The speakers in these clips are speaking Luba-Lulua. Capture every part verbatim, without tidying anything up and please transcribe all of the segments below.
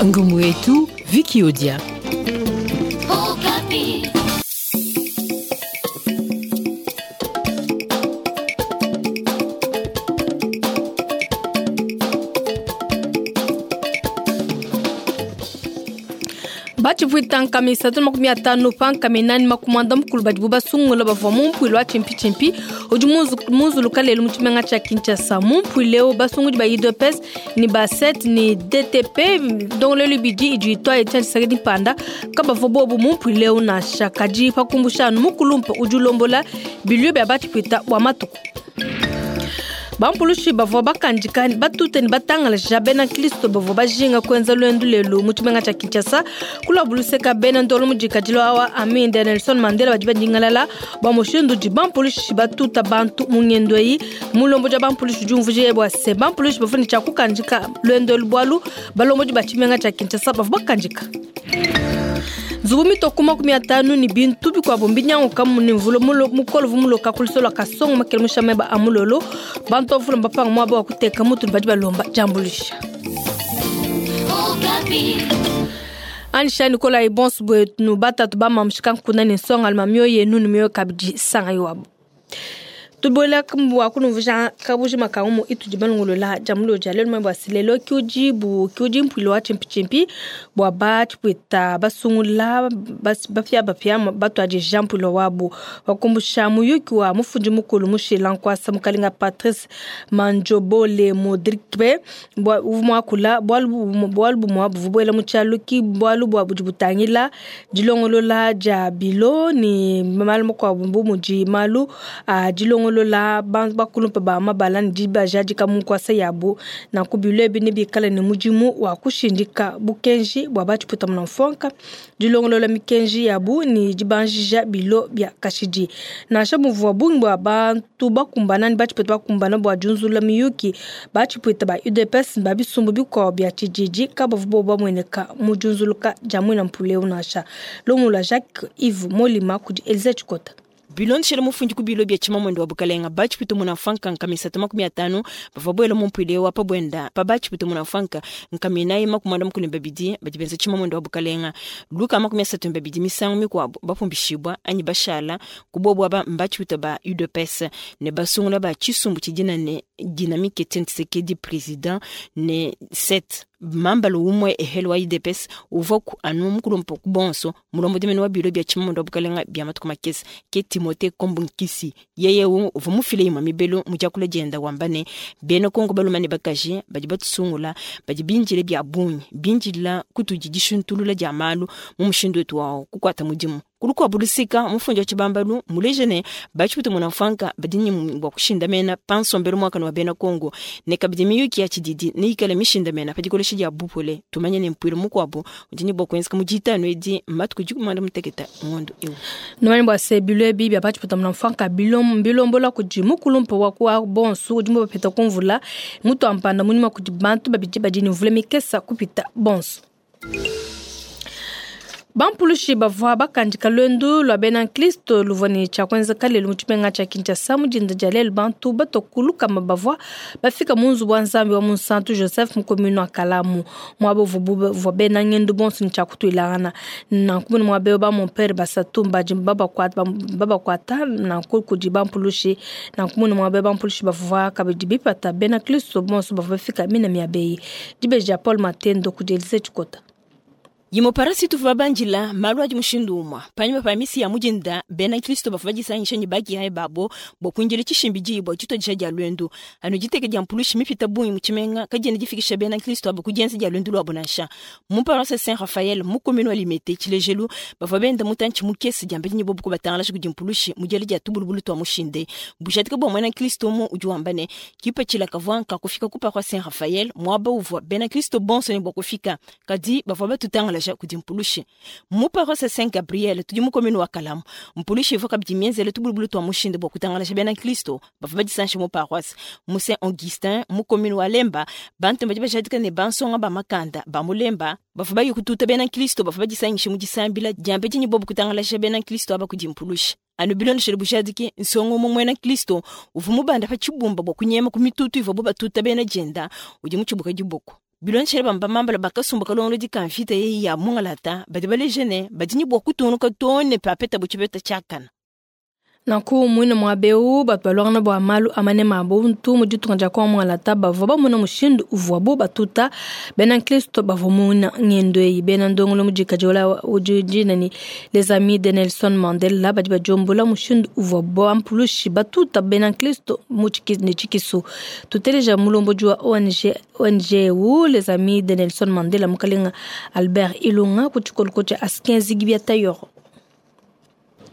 Ngumu yetu Vicky Odia. Bachivuita nkami isatu makumi atanu pa nkami nani makumanda mukulu badibu basungula bavua mu mpuilu wa tshimpi-tshimpi udi munzuluka lelu mu tshimenga tshia Kinshasa. Mu mpuilu eu basungudi ba U D P S ni ba sept ni D T P ndongoluelu ibidi idi itua Etienne Tshisekedi Mpanda kabavua bobu mu mpuilu eu nansha. Kadi pakumbusha anu mukulumpa udi ulombola bilio bia bachivuita bua matuku. Bampulushi bavua bakandika batute ne batangalaja bena Kristo bavua bajinga kuenza luendu lelu mu tshimenga tshia Kinshasa kulabuluseka bena ndolo mudikadilo awa Aminde Nelson Mandela badi badingalala bua mushindu udi bampulushi batuta bantu mu ngendo eyi. Mulombo dia bampulushi udi umvuija bua se bampulushi bavua ne tshia kukandika luendu elu bualu balombodi ba tshimenga tshia Kinshasa bavua bakandika. Nzubu mitoko makumi atanu ni bintu bikuabo mbinyanguka ni mvula mukolo vumuloka kulisola kasongo makele mushame ba amulolo bantu bavula mbapanga mwaba wa kuteka mutu badi balomba jambulisha. Anisha Nicolas Ibons bwetu batatu ba mamshika nkuna ni nsonga alma mioyo yenu ni mioyo kabidi sanga iwabo. Tubola kumbwa kunuvuja kabuji makangu itu dibalungulula jamulo jalelo mwe basilelo kyujibu kyuji mpwilo wa chimpi chimpi bwa ba chipwita basungula bas bafya bafya batu aje jampulo wabo wakumbusha muyuki wa mufundi mukulu mushila nkwasa mukalinga Patrice Manjobole Modrikbe bwa uvumwakula bwalu bwalu bwa buvubwela muchaluki bwalu bwa bujibutangila dilongolola ja bilo ni malu kwa bumbu muji malu a dilongolola la bakulumpa ba mabala ni dibaja dika mu nkwasa yabo na kubilo ebi ne bikala ne mudimu wa kushindika bukenji bwa bachiputa muna mfonka dilongolola mikenji yabu ni dibanjija bilo bya kashidi nansha muvua bungi bwa bantu bakumbana ni bachiputa bakumbana bwa junzula miyuki bachiputa ba U D P S ba bisumbu bikwa bya tshididi kabavu bo bamweneka mu junzuluka jamwe na mpuleu nansha lomula Jacques Yves Molima kudi Elise Chikota. Bilondeshele mufundi ku bilo bya tshimamondo wa bukalenga bachiputa muna mfanka nkami isatu makumi atanu bavua bwela mu mpuilu wa pabwenda pa bachiputa muna mfanka nkami inayi makumi anda mukulu babidi badi benza tshimamondo wa bukalenga luka makumi asatu babidi misangu mikuabo bapumbishibwa anyi bashala kubobwa ba mbachiputa ba U D P S ne basungula ba tshisumbu tshidina ne Dynamique Etienne Tshisekedi président ne sept mambalo umwe ehelo wa U D P S uvua ku anu mukulumpa ku bonso mulombo dimene wa bilo bya tshimamondo wa bukalenga bya matuku makese ke Timothée Kombunkisi yeye uvua mufile imwe mibelo mu diakula dienda wamba ne bena Kongo baluma ne bakaji badi batusungula badi binjile bya bungi binjila kutudi dishuntulula dia malu mu mushindu wetu wawo kukwata mudimu kulukwa bulusika mufundi wa tshibambalu muleje ne bachiputa muna mfanka badi ni bwa kushindamena pansombelo mwaka wa bena Kongo ne kabidi miyuki ya tshididi ne ikala mishindamena pa dikolesha dia bupole tumanye ne mpuilu mukuabo udi ni bwa kuenzeka mu ditanu edi matuku dikumanda muteketa ngondo eu numanye bwa se bilo ebi bya bachiputa muna mfanka bilom bilombola kudi mukulumpa wa kwa bonsu udi mu bapeta kumvula mutu ampanda munyuma kudi bantu babidi badi ni mvula mikesa kupita bonsu. Bampulushi bavua bakandika luendu lua bena Kristo luvua ne tshia kuenzeka lelu mu tshimenga tshia Kinshasa mu dinda dia lelu bantu batokuluka bavua bafika mu nzubu wa Nzambi wa Munsantu Joseph mu commune wa Kalamu muaba uvua bena ngendo bonso ne tshia kutuilangana nanku mune muaba eu ba mon père basatu badi babakuata babakuata nanku kudi bampulushi nanku mune muaba eu bampulushi bavua kabidi bipata bena Kristo bonso bavua bafika mina miaba eyi. Dibeji dia Paul Matendo kudi Elise Chikota. Yimo parasi tuva banjila malu adi mushindu umwa panyuma pa misi ya mujinda bena Kristo bavua disangisha ne baki hai babo bwa kuinjila tshishimbi dibo tshitodisha dia lwendu anu diteke dia mpulushi mipita bungi mu tshimenga kadiena difikisha bena Kristo abo kudienza dia lwendu lwabo nansha mu paroisse Saint Raphaël mu commune wa Limete tshilejelu bavua benda mutantshi mukese dia mbedi bobo kubatangala kudi mpulushi mu diela dia tubulubulu twa mushinde bujatika bwa mwena Kristo mu udi wamba ne kipatshila kavua nkakufika ku paroisse Saint Raphaël muaba uvua bena Kristo bonso ne bwa kufika kadi bavua batutangala kudi mpulushi mu paroisse Saint Gabriel tudi mu commune wa Kalamu mpulushi ivua kabidi mienzele tubulubulu twa mushinde bwa kutangalasha bena Kristo bavua badisansha mu paroisse mu Saint Augustin mu commune wa Lemba bantu badi bajadika ne bansonga ba makanda ba mu Lemba bavua baye kututa bena Kristo bavua badisangisha mu disambila diambe dinyi bobu kutangalasha bena Kristo aba kudi mpulushi anu bilondeshele bujadiki nsongo mu mwena Kristo uvua mubanda pa tshibumba bwa kunyema ku mitutu ivua bo batuta bena dienda udi mutshibuka diboko. Bilonshele bamba mambala bakasumba kalongolo dikamfita ye ya mungalata badi balejene badi ni bwa kutunuka tone papeta buchibeta chakana. Nanku mwine mwabeu batu balwangana bwa malu amane mabuntu mu ditunga dia Kongo mungalata bavua bamona mushindu uvuabu batuta bena nkristo bavua muna ngendo eyi bena ndongolo mu dikadi ola udi ni les amis de Nelson Mandela badi badiombola mushindu uvuabu bampulushi batuta bena nkristo mu ne tshikisu. Tuteleja mulombodi wa O N G O N G u les amis de Nelson Mandela mukalenga Albert Ilunga ku tshikoloko tshia Askenzi Gibia Tayoro.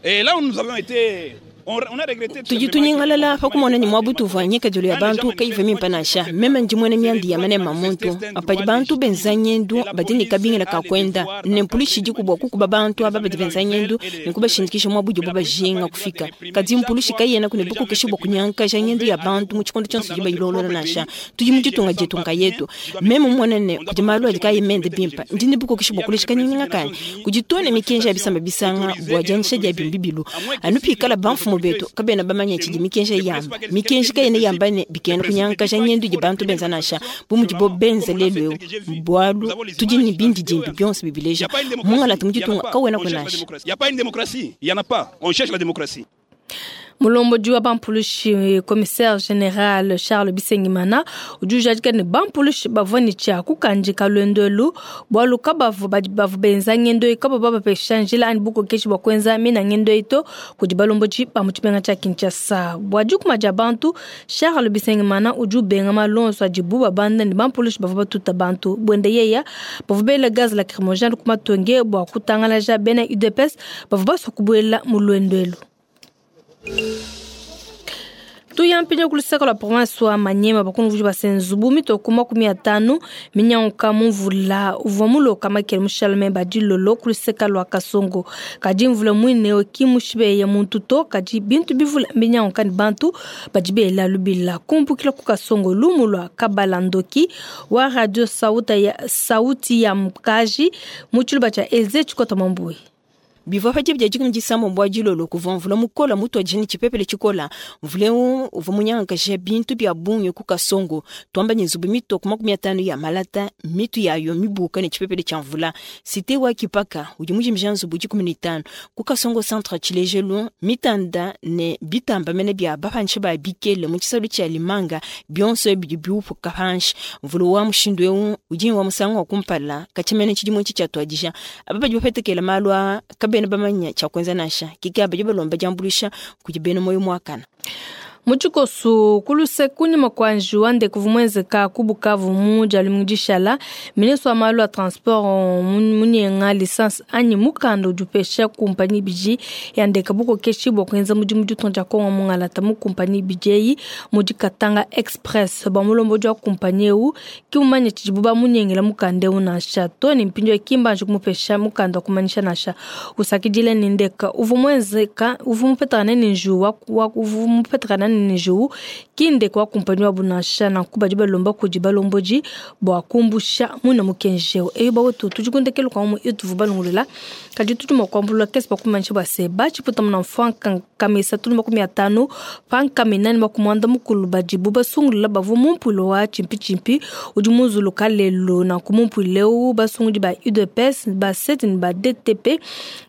Et là où nous avons été, on, on a regretté. Tudi tunyingalala pakumona ni mwabutu vwanyika julu ya bantu kaive mimpanasha mema njimwene myandi ya mane mamuntu apadi bantu benzanyendu badini kabingela kakwenda nempulishi jikubwa kukuba bantu aba badi benzanyendu nikubashindikisha mwabujo baba jinga kufika kadi mpulishi kayena kune buku keshibwa kunyanka janyendu ya bantu mu chikondo chonso jiba ilolola nasha tudi mujitunga jetunga yetu meme mwenene kudi malu adi kayimende bimpa ndini buku keshibwa kulishika nyinga kani kujitone mikenja ya bisamba bisanga bwa janisha ja bimbibilu anupikala banfu betu kabena bamanya chidi mikenja yamba mikenja kayene yamba ne bikena kunyanka janyendu ji bantu benza nasha bumuji bo benza lelo bwalu tudi ni bindi jimbi byonse bibileja mungala tumujitunga kawena kunasha. Il y a pas une démocratie, il y en a pas. On cherche la démocratie. Mulombodi wa bampulushi commissaire général Charles Bisengimana udi ne bampulushi bavua ne tshia kukandika luendu bwalu kabavu bavu benza ngendo eyi kaba bapesha njila ani bukokeshi bwa kuenza mina ngendo eyi to kudi balombodi ba mu tshimenga tshia Kinshasa. Bua dikuma dia bantu Charles Bisengimana udi ubenga malonso adibu babanda ne bampulushi bavua batuta bantu buende yeya bavua bela gaz lacrymogène ku matonge bua kutangalaja bena U D P S bavua basua kubuela mu luendu elu. Tuyampinya kulusaka lwa province wa Manyema bakunvuji basenzubu mitoko makumi atanu minyanguka mumvula uvua muloka makele mushalame badilolo kuluseka lwa Kasongo kadi mvula mwine ki mushibeya muntu to kadi bintu bivula minyanguka ni bantu badi bela lubila kumpukila ku Kasongo lumu lwa Kabalandoki wa radio sauti ya, sauti ya mkaji mu tshiluba tshia Eze Tshikota Mambui. Bivua pa dibia dikumi disambo mbwa dilolo kuvua mvula mukola mutu ajini tshipepele tshikola mvula eu uvua munyangankasha bintu bia bungi ku Kasongo twamba ni nzubu mitoko makumi atanu ya malata mitu yayo mibuka ne tshipepele tshia mvula site wa kipaka udi mujimija nzubu dikumi ne tanu ku Kasongo centre tshilejelu mitanda ne bitamba mene bia bapanshi ba bikele mu tshisalu tshia limanga bionso bidi biupuka panshi mvula wa mushindu eu udi wa musangu wa kumpala katshimene tshidimu tshi tshiatuadija aba badi bapetekela malu a kabena bamanya tshia kuenza nansha kika badi balomba diambulisha kudi bena moyo mwakana. Muchikosu kuluse kunyima kwa njuwa ndekuvu mwenzeka ku Bukavu mu dia dishala ministre wa malu a transport munyenga licence anyi mukanda udi upesha kumpanyi biji ya ndeka bukokeshi bua kuenza mudimu ditunga dia Kongo mungalata mu kumpanyi biji eyi mu dikatanga express bua mulombodi wa kumpanyi eu ki mumanye tshidibu bamunyengela mukanda eu nansha to ne mpindieu kimbanji kumupesha mukanda wa kumanyisha nansha usakidile ne ndeka uvua muenzeka uvua mupetakana ne njuwa uvua mupetakana nijo kinde kwa kumpanyi wa bunasha na kuba balomba kudi balomboji bwa kumbusha muna mukenjeo eyo bawetu tujikundekelo kwa mu ituvu balungulula kadi tutuma kwambulula kesi bakumanyisha bwa se bachiputa muna mfanka kamisa tulu makumi atanu panka minani makumwanda mukulu badibu basungulula bavua mumpulo wa chimpi chimpi udi muzuluka lelo na kumumpuleu basungudi ba U D P S ba sept ni ba D T P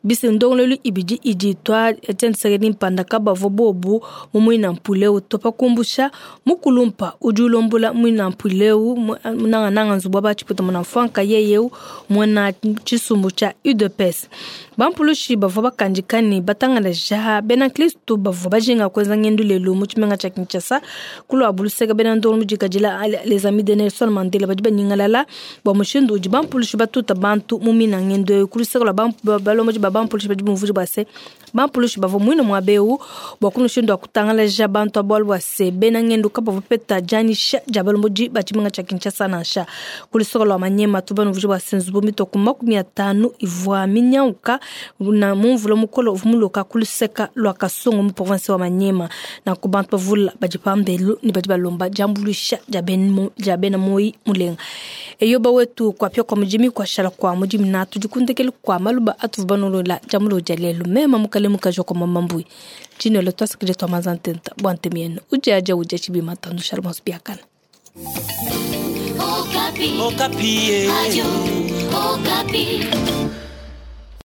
bise ndongolelu ibidi idi twa Etienne Tshisekedi mpanda kabavua bobu mumuina mpuleu topa kumbusha mukulumpa udi ulombola muina mpuleu nangananga nzubu bachiputa muna mfanka yeyeu mwana tshisumbu tshia U D P S bampulushi bavua bakandikani batangalaja bena Kristo bavua bajinga kuenza ngendu lelo mu tshimenga tshia Kinshasa kulwa buluseka bena ndongo mujikadila les amis de Nelson Mandela badi banyingalala bua mushindu udi bampulushi batuta bantu mu mina ngendu kuluseka lwa balomboji ba bampulushi badi bumvuji bua se bampulushi bavua muina muabeu bua kumushindu wa kutangalaja bantu abualu bua se bena ngendu kabavua peta dianyisha dia balomboji ba tshimenga tshia Kinshasa nansha kuluseka lwa Manyema tu banumvuji bua se nzubu mitoko makumi atanu ivua minyauka na mumvula mukolo uvumuloka kuluseka lwa Kasongo mu province wa Manyema na ku bantu bavula badi pambelu ni badi balomba diambulisha dia bena moi mulenga eyo bawetu kwapya kwa mujimi kwashala kwa mujimi na tudikundekele kwa maluba atuvubanolola jamulo dia lelo mema mukale mukajo kwa mamambui chino le twasikile twa mazantenta bwante mieno ujaja uja chibima tandu shalmos biakana. Okapi. Okapi. Okapi. Radio Okapi.